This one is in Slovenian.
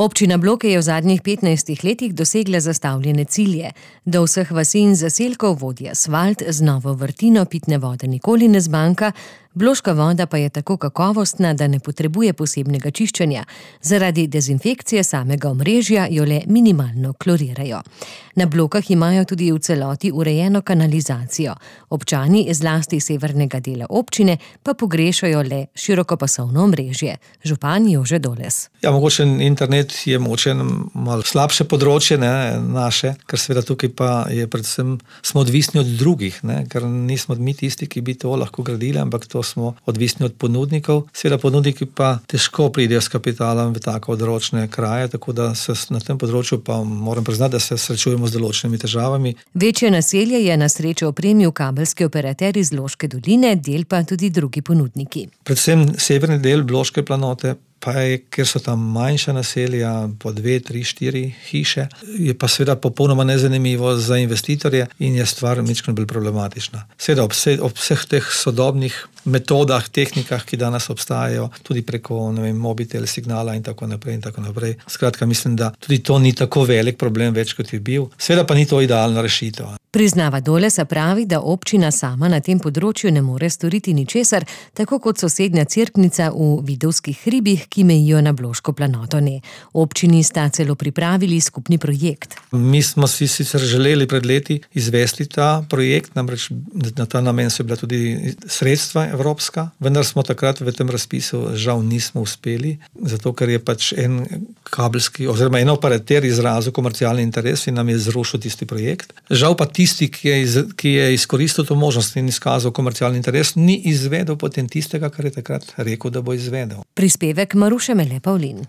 Občina Bloke je v zadnjih 15 letih dosegla zastavljene cilje. Do vseh vasi in zaselkov vodi asfalt, z novo vrtino pitne vode nikoli ne zmanjka, bloška voda pa je tako kakovostna, da ne potrebuje posebnega čiščenja. Zaradi dezinfekcije samega omrežja jo le minimalno klorirajo. Na Blokah imajo tudi v celoti urejeno kanalizacijo. Občani zlasti severnega dela občine pa pogrešajo le širokopasovno omrežje. Župan Jože Doles. Ja, mogoče internet je mogoče malo slabše področje, naše, ker seveda tukaj pa je predvsem smo odvisni od drugih, ker nismo mi tisti, ki bi to lahko gradili, ampak to smo odvisni od ponudnikov. Seveda ponudniki pa težko pridejo s kapitalom v tako odročne kraje, tako da se na tem področju pa moram priznati, da se srečujemo z določenimi težavami. Večje naselje je na srečo opremil kabelski operater iz Loške doline, del pa tudi drugi ponudniki. Predvsem severni del Bloške planote pa je, ker so tam manjša naselja, po 2, 3, 4 hiše, je pa seveda popolnoma nezanimivo za investitorje in je stvar majčkeno bolj problematična. Seveda ob vseh teh sodobnih metodah, tehnikah, ki danes obstajajo, tudi preko, mobitel, signala in tako naprej in tako naprej. Skratka, mislim, da tudi to ni tako velik problem več, kot je bil. Seveda pa ni to idealna rešitev. Priznava Dolesa pravi, da občina sama na tem področju ne more storiti ničesar, tako kot sosednja Cerknica v Vidovskih hribih, ki mejijo na Bloško planoto. Občini sta celo pripravili skupni projekt. Mi smo si sicer želeli pred leti izvesti ta projekt, namreč na ta namen so bila tudi sredstva evropska, vendar smo takrat v tem razpisu žal nismo uspeli, zato ker je pač en kabelski oziroma en operater izrazil komercialni interes in nam je zrušil tisti projekt. Žal pa tisti, ki je izkoristil to možnost in izkazal komercialni interes, ni izvedel potem tistega, kar je takrat rekel, da bo izvedel. Prispevek Maruše Mele Pavlin.